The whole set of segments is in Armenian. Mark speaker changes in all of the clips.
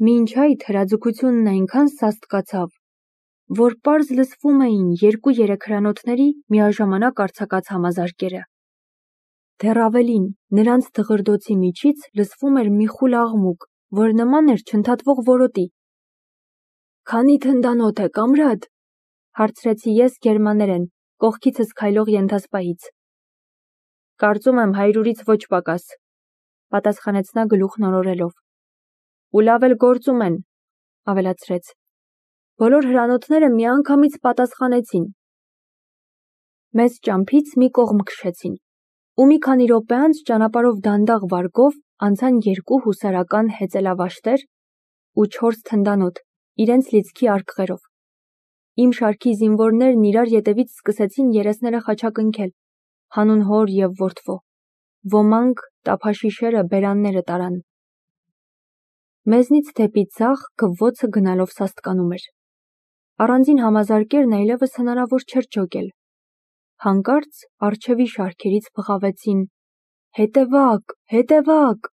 Speaker 1: Մինչ այդ հրաձգությունն այնքան սաստկացավ, որ պարզ լսվում էին 2-3 հրանոթների միաժամանակ արձակած համազարկերը։ Դեռ ավելին, նրանց դղրդոցի միջից լսվում էր մի խուլ աղմուկ, որ նման էր չընդհատվող որոտի։ «Քանի թնդանոթ է, կամրադ», հարցրեցի ես գերմաներեն, կողքիցս քայլող ենթասպայից։ «Կարծում եմ 100-ից ոչ պակաս», պատասխանեց նա գլուխն օրորելով։ «Ու լավ էլ գործում են», ավելացրեց։ Բոլոր հրանոթները միանգամից պատասխանեցին։ Մեզ ճամփից մի կողմ քշեցին, ու մի քանի րոպե անց ճանապարհով դանդաղ վարգով անցան 2 հուսարական հեծելավաշտեր ու 4 թնդանոթ, իրենց լիցքի արկղերով։ Իմ շարքի զինվորներն իրար ետևից սկսեցին երեսները խաչակնքել, հանուն հոր և որդվո։ Ոմանք տափաշիշերը բերանները տարան։ Մեզնից դեպի ձախ գվվոցը գնալով սաստկանում էր։ Առանձին համազարկերն այլևս հնարավոր չէր ջոկել։ Հանկարծ առջևի շարքերից բղավեցին. «Հետևակ, հետևակ»։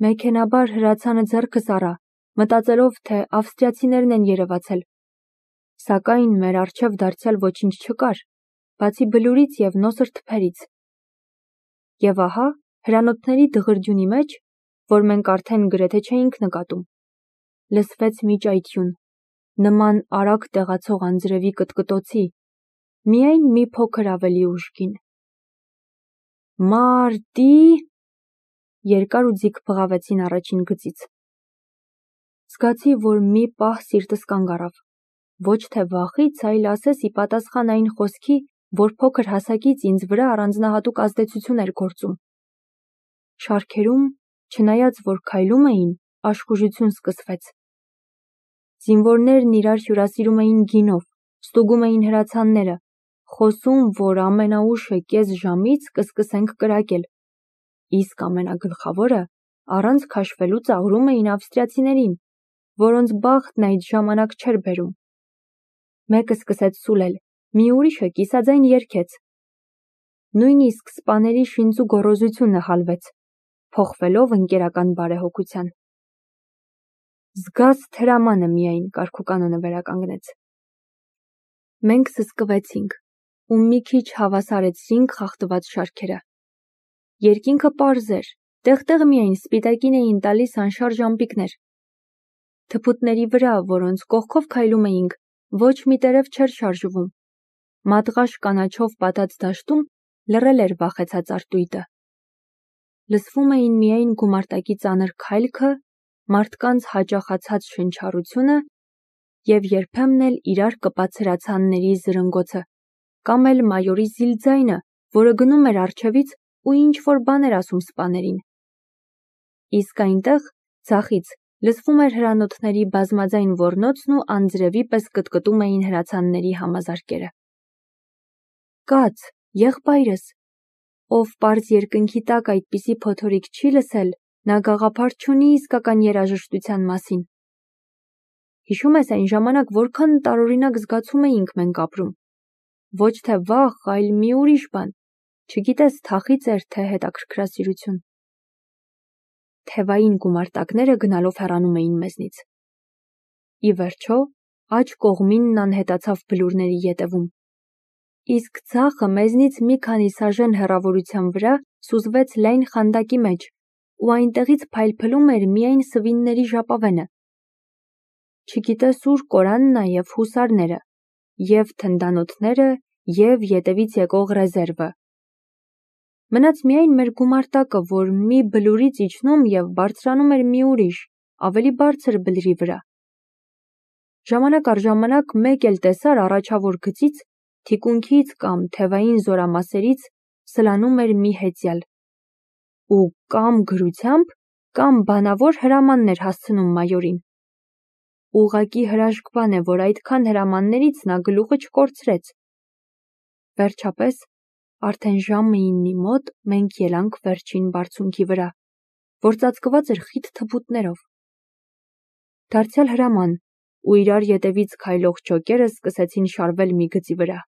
Speaker 1: Մեքենաբար հրացանը ձեռքս առա, մտածելով, թե ավստրիացիներն են երևացել։ Սակայն մեր առջև դարձյալ ոչինչ չկար, բացի բլուրից և նոսր թփերից։ Եվ ահա հրանոթների դղրդյունի մեջ, որ մենք արդեն գրեթե չէինք նկատում, լսվեց մի ճայթյուն, նման արագ տեղացող անձրևի կտկտոցի, միայն մի փոքր ավելի ուժգին։ «Մարտի», երկար ու ձիգ բղավեցին առաջին գծից։ Զգացի, որ մի պահ սիրտս կանգ առավ, ոչ թե վախից, այլ ասես ի պատասխան այն խոսքի, որ փոքր հասակից ինձ վրա առանձնահատուկ ազդեցություն էր գործում։ Շարքերում, չնայած որ քայլում էին, աշխուժություն սկսվեց։ Զինվորներն իրար հյուրասիրում էին գինով, ստուգում էին հրացանները, խոսում, որ ամենաուշը կես ժամից կսկսենք կրակել, իսկ ամենագլխավորը առանց քաշվելու ծաղրում էին ավստրիացիներին, որոնց բախտն այդ ժամանակ չէր բերում։ Մեկը սկսեց սուլել, մի ուրիշը կիսաձայն երգեց։ Նույնիսկ սպաների շինծու գոռոզությունը հալվեց, փոխվելով ընկերական բարեհոգության։ «Զգաս թրամանը» միայն կարգուկանոնը վերականգնեց։ Մենք սսկվեցինք ու մի քիչ հավասարեցրինք խախտված շարքերը։ Երկինքը պարզ էր, տեղ-տեղ միայն սպիտակին էին տալիս անշարժ ամպիկներ։ Թփուտների վրա, որոնց կողքով քայլում էինք, ոչ մի տերև չէր շարժվում։ Մատղաշ կանաչով պատած դաշտում լռել էր վախեցած արտույտը։ Լսվում էին միայն գումարտակի ծանր քայլքը, մարդկանց հաճախացած շնչառությունը և երբեմն էլ իրար կպած հրացանների զրնգոցը, կամ էլ մայորի զիլ ձայնը, որը գնում էր առջևից ու ինչ-որ բան էր ասում սպաներին։ Իսկ այնտեղ, ձախից, լսվում էր հրանոթների բազմաձայն ոռնոցն ու անձրևի պես կտկտում էին հրացանների համազարկերը։ Կաց, եղբայրս, ով պարզ երկնքի տակ այդպիսի փոթորիկ չի լսել, նա գաղափար չունի իսկական երաժշտության մասին։ Հիշում ես այն ժամանակ որքան տարօրինակ զգացում էինք մենք ապրում։ Ոչ թե վախ, այլ մի ուրիշ բան, չգիտես թախիծ էր, թե հետաքրքրասիրություն։ Թևային գումարտակները գնալով հեռանում էին մեզնից։ Ի վերջո, աջ կողմինն անհետացավ բլուրների ետևում։ Իսկ ձախը մեզնից մի քանի սաժեն հեռավորության վրա սուզվեց լայն խանդակի մեջ, ու այնտեղից փայլփլում էր միայն սվինների ժապավենը։ Չգիտես ուր կորան նաև հուսարները, և թնդանոթները, և ետևից եկող ռեզերվը։ Մնաց միայն մեր գումարտակը, որ մի բլուրից իջնում և բարձրանում էր մի ուրիշ, ավելի բարձր բլրի վրա։ Ժամանակ առ ժամանակ մեկ էլ տեսար առաջավոր գծից, թիկունքից կամ թևային զորամասերից սլանում էր մի հեծյալ, ու կամ գրությամբ, կամ բանավոր հրամանն էր հասցնում մայորին։ Ուղղակի հրաշք բան է, որ այդքան հրամաններից նա գլուխը չկորցրեց։ Վերջապես, արդեն ժամը 9-ի մոտ մենք ելանք վերջին բարձունքի վրա, որ ծածկված էր խիտ թփուտներով։ Դարձյալ հրաման, ու իրար ետևից քայլող ջոկերը սկսեցին շարվել մի գծի վրա։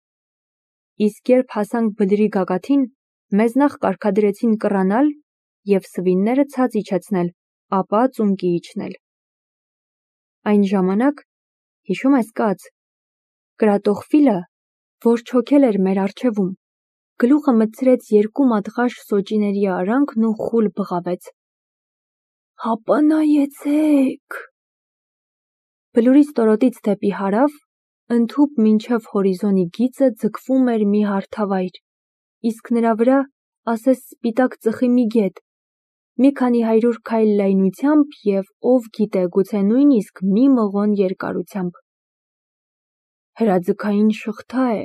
Speaker 1: Իսկ երբ հասանք բլրի գագաթին, մեզ նախ կարգադրեցին կռանալ և սվինները ցած իջեցնել, ապա ծունկի իջնել։ Այն ժամանակ, հիշում ես կաց, կրատող ֆիլը, որ չոքել էր մեր առջևում, գլուխը մտցրեց 2 մատղաշ սոճիների արանքն ու խուլ բղավեց. «Հապա նայեցեք»։ Բլուրի ստորոտից դեպի հարավ, ընդհուպ մինչև հորիզոնի գիծը ձգվում էր մի հարթավայր, իսկ նրա վրա ասես սպիտակ ծխի մի գետ, մի քանի 100 քայլ լայնությամբ և ով գիտե գուցե նույնիսկ մի մղոն երկարությամբ։ «Հրաձգային շղթա է»,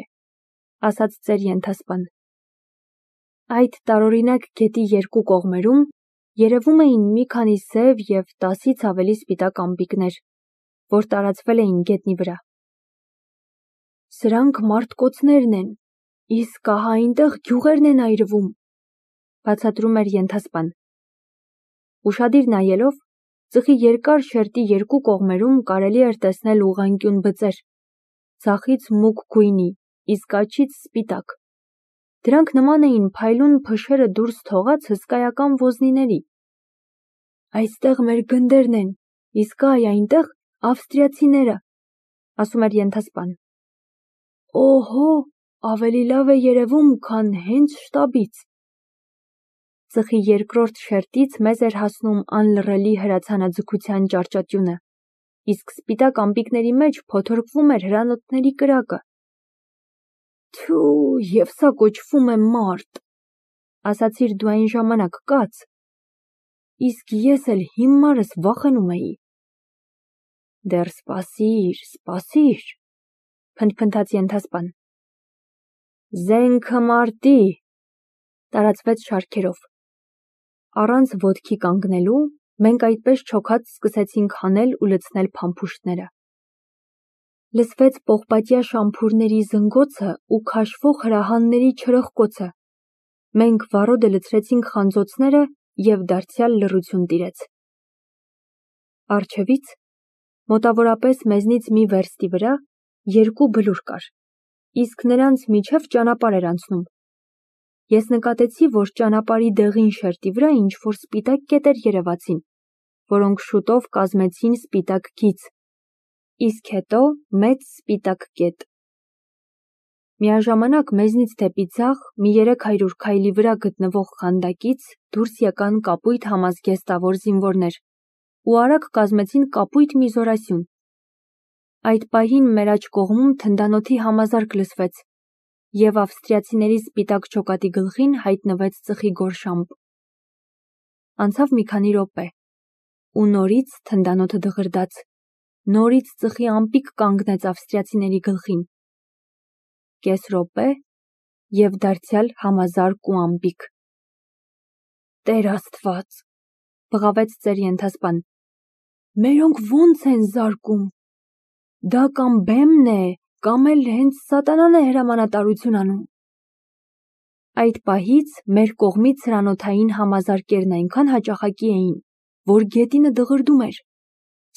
Speaker 1: ասաց ծեր ենթասպան։ Այդ տարօրինակ գետի 2 կողմերում երևում էին մի քանի սև և 10-ից ավելի սպիտակ ամպիկներ, որ տարածվել էին գետնի վրա։ «Սրանք մարդկոցներն են, իսկ ահա այնտեղ գյուղերն են այրվում», բացատրում էր ենթասպան։ Ուշադիր նայելով, ծխի երկար շերտի 2 կողմերում կարելի էր տեսնել ուղղանկյուն բծեր, ձախից մուգ գույնի, իսկաջից սպիտակ։ Դրանք նման էին փայլուն փշերը դուրս թողած հսկայական ոզնիների։ «Այստեղ մեր գնդերն են, իսկ այնտեղ ավստրիացիները», ասում էր ենթասպան։ «Օհո, ավելի լավ է երևում, քան հենց շտաբից»։ Ծխի երկրորդ շերտից մեզ էր հասնում անլռելի հրացանաձգության ճարճատյունը, իսկ սպիտակ ամպիկների մեջ փոթորկվում էր հրանոթների կրակը։ «Թյու, և սա կոչվում է մարդ», ասացիր դու այն ժամանակ կաց, իսկ ես էլ հիմարս վախենում էի։ «Դեռ սպասիր», փնթփնթաց ենթասպան։ «Զենքը մարտի», տարածվեց շարքերով։ Առանց ոտքի կանգնելու, մենք այդպես չոքած սկսեցինք հանել ու լցնել փամփուշտները։ Լսվեց պողպատյա շամփուրների զնգոցը ու քաշվող հրահանների չրխկոցը։ Մենք վառոդը լցրեցինք խանձոցները և դարձյալ լռություն տիրեց։ Առջևից, մոտավորապես մեզնից մի վերստի վրա, 2 բլուր կար, իսկ նրանց միջև ճանապարհ էր անցնում։ Ես նկատեցի, որ ճանապարհի դեղին շերտի վրա ինչ-որ սպիտակ կետեր երևացին, որոնք շուտով կազմեցին սպիտակ գիծ, իսկ հետո մեծ սպիտակ կետ։ Միաժամանակ մեզնից դեպի ձախ մի 300 քայլի վրա գտնվող խանդակից դուրս եկան կապույտ համազգեստավոր զինվորներ ու արագ կազմեցին կապույտ մի զորասյուն։ Այդ պահին մեր աջ կողմում թնդանոթի համազարկ լսվեց, և ավստրիացիների սպիտակ ջոկատի գլխին հայտնվեց ծխի գորշամպ։ Անցավ մի քանի րոպե, ու նորից թնդանոթը դղրդաց, նորից ծխի ամպիկ կանգնեց ավստրիացիների գլխին։ Կես րոպե և դարձյալ համազարկ ու ամպիկ։ «Տեր Աստված», բղավեց ծեր ենթասպան, «մերոնք ո՞նց են զարկում։ Դա կամ բեմն է, կամ էլ հենց սատանան է հրամանատարություն անում»։ Այդ պահից մեր կողմից հրանոթային համազարկերն այնքան հաճախակի էին, որ գետինը դղրդում էր,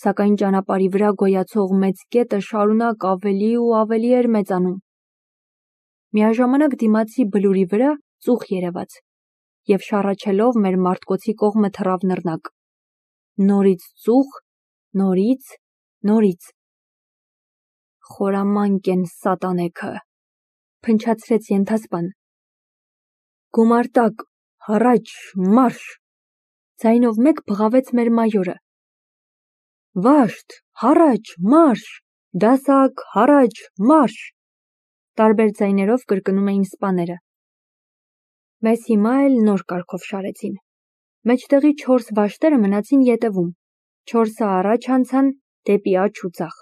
Speaker 1: սակայն ճանապարհի վրա գոյացող մեծ կետը շարունակ ավելի ու ավելի էր մեծանում։ Միաժամանակ դիմացի բլուրի վրա ծուխ երևաց, և շառաչելով մեր մարտկոցի կողմը թռավ նռնակ։ Նորից ծուխ, նորից։ «Խորամանկ են սատանեքը», փնչացրեց ենթասպան։ «Գումարտակ, հառաչ, մարշ», ձայնով մեկ բղավեց մեր մայորը։ «Վաշտ, հառաչ, մարշ, դասակ, հառաչ, մարշ», տարբեր ձայներով կրկնում էին սպաները։ Մեզ հիմա էլ նոր կարգով շարեցին։ Մեջտեղի 4 վաշտերը մնացին ետևում, 4-ը առաջ անցան դեպի աջ ու ձախ։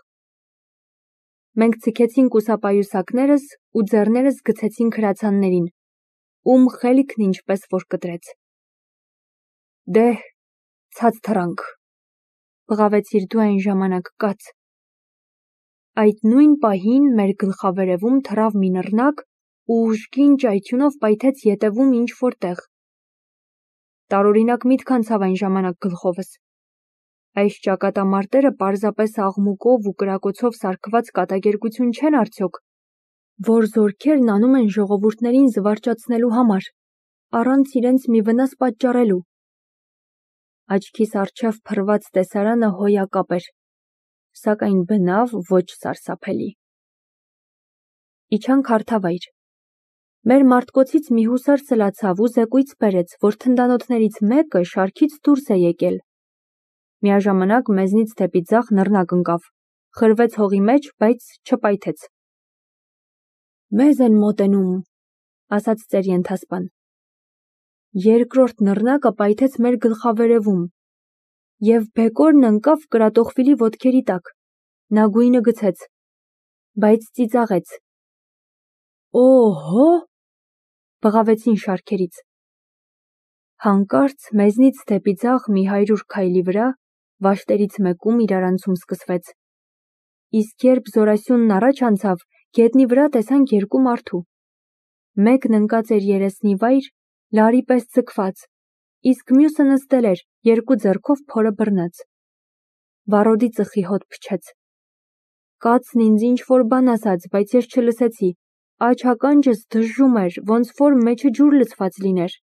Speaker 1: Մենք ձգեցինք կուսապայուսակներս ու ձեռներս գցեցինք հրացաններին, ում խելքն ինչպես որ կտրեց։ «Դե՛հ, ցած թռանք», բղավեցիր դու այն ժամանակ կաց։ Այդ նույն պահին մեր գլխավերևում թռավ մի նռնակ ու ուժգին ճայթյունով պայթեց ետևում ինչ-որ տեղ։ Տարօրինակ միտք անցավ այն ժամանակ գլխովս։ Այս ճակատամարտերը պարզապես աղմուկով ու կրակոցով սարքված կատակերգություն չեն արդյոք, որ զորքերն անում են ժողովուրդներին զվարճացնելու համար, առանց իրենց մի վնաս պատճառելու։ Աչքիս առջև փռված տեսարանը հոյակապ էր։ սակայն բնավ ոչ սարսափելի։ Իջան քարթավայր։ Մեր մարտկոցից մի հուսար սլացավ ու զեկույց բերեց, որ թնդանոթներից մեկը շարքից դուրս է եկել։ Միաժամանակ մեզնից դեպի ձախ նռնակ ընկավ, խրվեց հողի մեջ, բայց չպայթեց։ Մեզ են մոտենում, ասաց ծեր ենթասպան։ Երկրորդ նռնակը պայթեց մեր գլխավերևում, և բեկորն ընկավ կրատողվիլի ոտքերի տակ, նա գույնը գցեց, բայց ծիծաղեց։ Օհո, բղավեցին շարքերից։ Հանկարծ մեզնից դեպի ձախ մի 100 քայլի վրա վաշտերից մեկում իրարանցում սկսվեց։ Իսկ երբ Զորասյունն առաջ անցավ, գետնի վրա տեսանք երկու մարդու։ Մեկն ընկած էր երեսնի վայր, լարի պես ձգված, իսկ մյուսը նստել էր, երկու ձեռքով փորը բռնած։ Վառոդի ծխի հոտ փչեց։ Կացն ինձ ինչ-որ բան ասաց, բայց ես չլսեցի։ Աջ ականջս դժժում էր, ոնց որ մեջը ջուր լցված լիներ։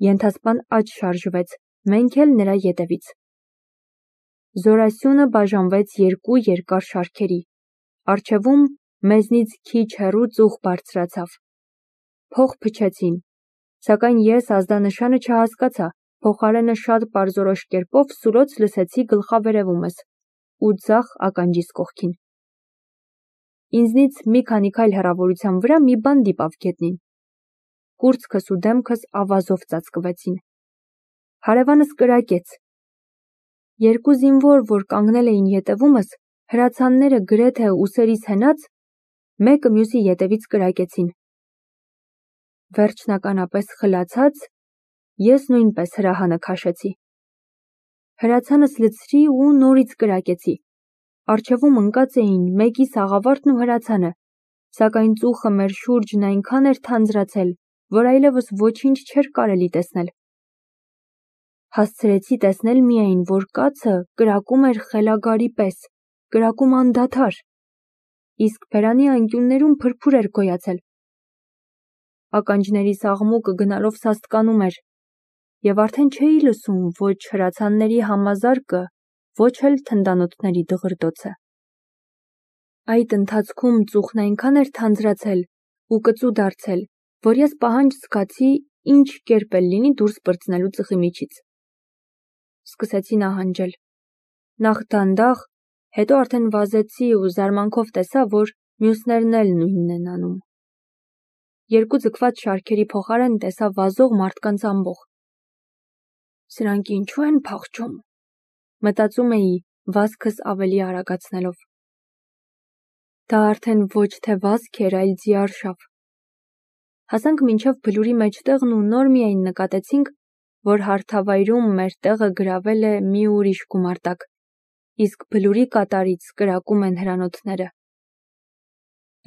Speaker 1: Ենթասպան աջ շարժվեց, մենք էլ նրա ետևից։ Զորասյունը բաժանվեց երկու երկար շարքերի։ Առջևում մեզնից քիչ հեռու ծուխ բարձրացավ։ Փող փչեցին, սակայն ես ազդանշանը չհասկացա, փոխարենը շատ պարզորոշ կերպով սուլոց լսեցի գլխավերևումս ու ձախ ականջիս կողքին։ Ինձնից մի քանի քայլ հեռավորության վրա մի բան դիպավ գետնին։ Կուրծքս ու դեմքս ավազով ծածկվեցին։ Հարևանս կրակեց։ Երկու զինվոր, որ կանգնել էին ետևումս, հրացանները գրեթե ուսերիս հենած, մեկը մյուսի ետևից կրակեցին։ Վերջնականապես խլացած, ես նույնպես հրահանը քաշեցի։ Հրացանս լցրի ու նորից կրակեցի։ Առջևում ընկած էին մեկի սաղավարտն ու հրացանը, սակայն ծուխը մեր շուրջն այնքան էր թանձրացել, որ այլևս ոչինչ չէր կարելի տեսնել։ Հասցրեցի տեսնել միայն, որ կացը կրակում էր խելագարի պես, կրակում անդադար, իսկ բերանի անկյուններում փրփուր էր գոյացել։ Ականջներիս աղմուկը գնալով սաստկանում էր, և արդեն չէի լսում ոչ հրացանների համազարկը, ոչ էլ թնդանոթների դղրդոցը։ Այդ ընթացքում ծուխն այնքան էր թանձրացել ու կծու դարձել, որ ես պահանջ զգացի ինչ կերպ էլ լինի դուրս պրծնելու ծխի միջից։ Սկսեցի նահանջել։ Նախ դանդաղ, հետո արդեն վազեցի ու զարմանքով տեսա, որ մյուսներն էլ նույնն են անում։ Երկու ձգված շարքերի փոխարեն տեսա վազող մարդկանց ամբոխ։ Սրանք ինչու են փախչում, մտածում էի, վազքս ավելի արագացնելով։ Դա արդեն ոչ թե վազք էր, այլ ձիարշավ։ Հասանք մինչև բլուրի մեջտեղն ու նոր միայն նկատեցինք, որ հարթավայրում մեր տեղը գրավել է մի ուրիշ գումարտակ, իսկ բլուրի կատարից կրակում են հրանոթները։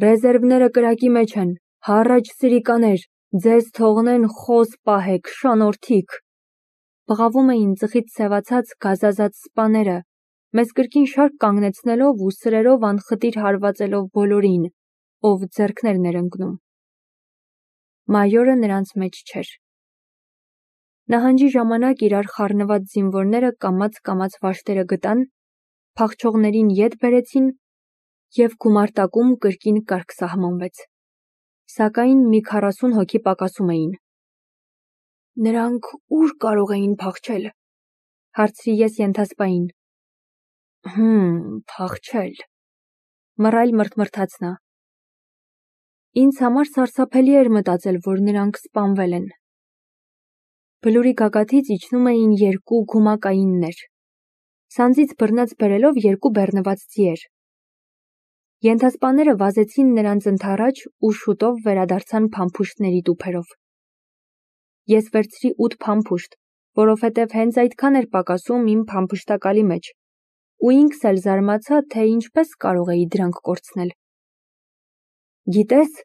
Speaker 1: Ռեզերվները կրակի մեջ են, հառաջ սրիկաներ, ձեզ թողնեն խոս պահեք, շանորդիկ։ Բղավում էին ծխից սևացած գազազած սպաները, մեզ կրկին շարք կանգնեցնելով ու սրերով անխտիր հարվածելով բոլորին, ով ձեռքներն էր ընկնում։ Մայորը նրանց մեջ չէր։ Նահանջի ժամանակ իրար խառնված զինվորները կամաց վաշտերը գտան, փախչողներին ետ բերեցին և գումարտակում կրկին կարգ սահմանվեց։ Սակայն մի 40 հոգի պակասում էին։ Նրանք ուր կարող էին փախչել, հարցրի ես ենթասպային։ Փախչել, մռայլ մրթմրթաց նա։ Ինձ համար սարսափելի էր մտածել, որ նրանք սպանվել են։ Բլուրի գագաթից իջնում էին երկու գումակայիններ, սանձից բռնած բերելով երկու բեռնված ձիեր։ Ենթասպաները վազեցին նրանց ընդառաջ ու շուտով վերադարձան փամփուշտների տուփերով։ Ես վերցրի 8 փամփուշտ, որովհետև հենց այդքան էր պակասում իմ փամփշտակալի մեջ, ու ինքս էլ զարմացա, թե ինչպես կարող էի դրանք կորցնել։ Գիտես,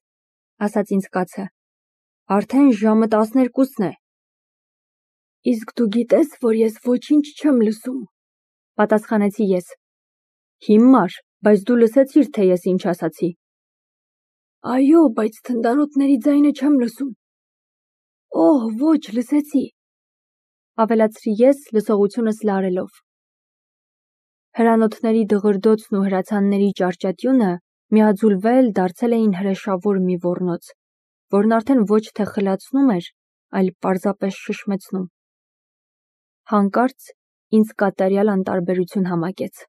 Speaker 1: ասաց ինձ կացը, արդեն ժամը 12-ն է։ Իսկ դու գիտես, որ ես ոչինչ չեմ լսում, պատասխանեցի ես։ Հիմար, բայց դու լսեցիր, թե ես ինչ ասացի։ Այո, բայց թնդանոթների ձայնը չեմ լսում։ Օհ, ոչ, լսեցի, ավելացրի ես լսողությունս լարելով։ Հրանոթների դղրդոցն ու հրացանների ճարճատյունը միաձուլվել դարձել էին հրեշավոր մի ոռնոց, որն արդեն ոչ թե խլացնում էր, այլ պարզապես շշմեցնում։ Հանկարծ ինձ կատարյալ անտարբերություն համակեց։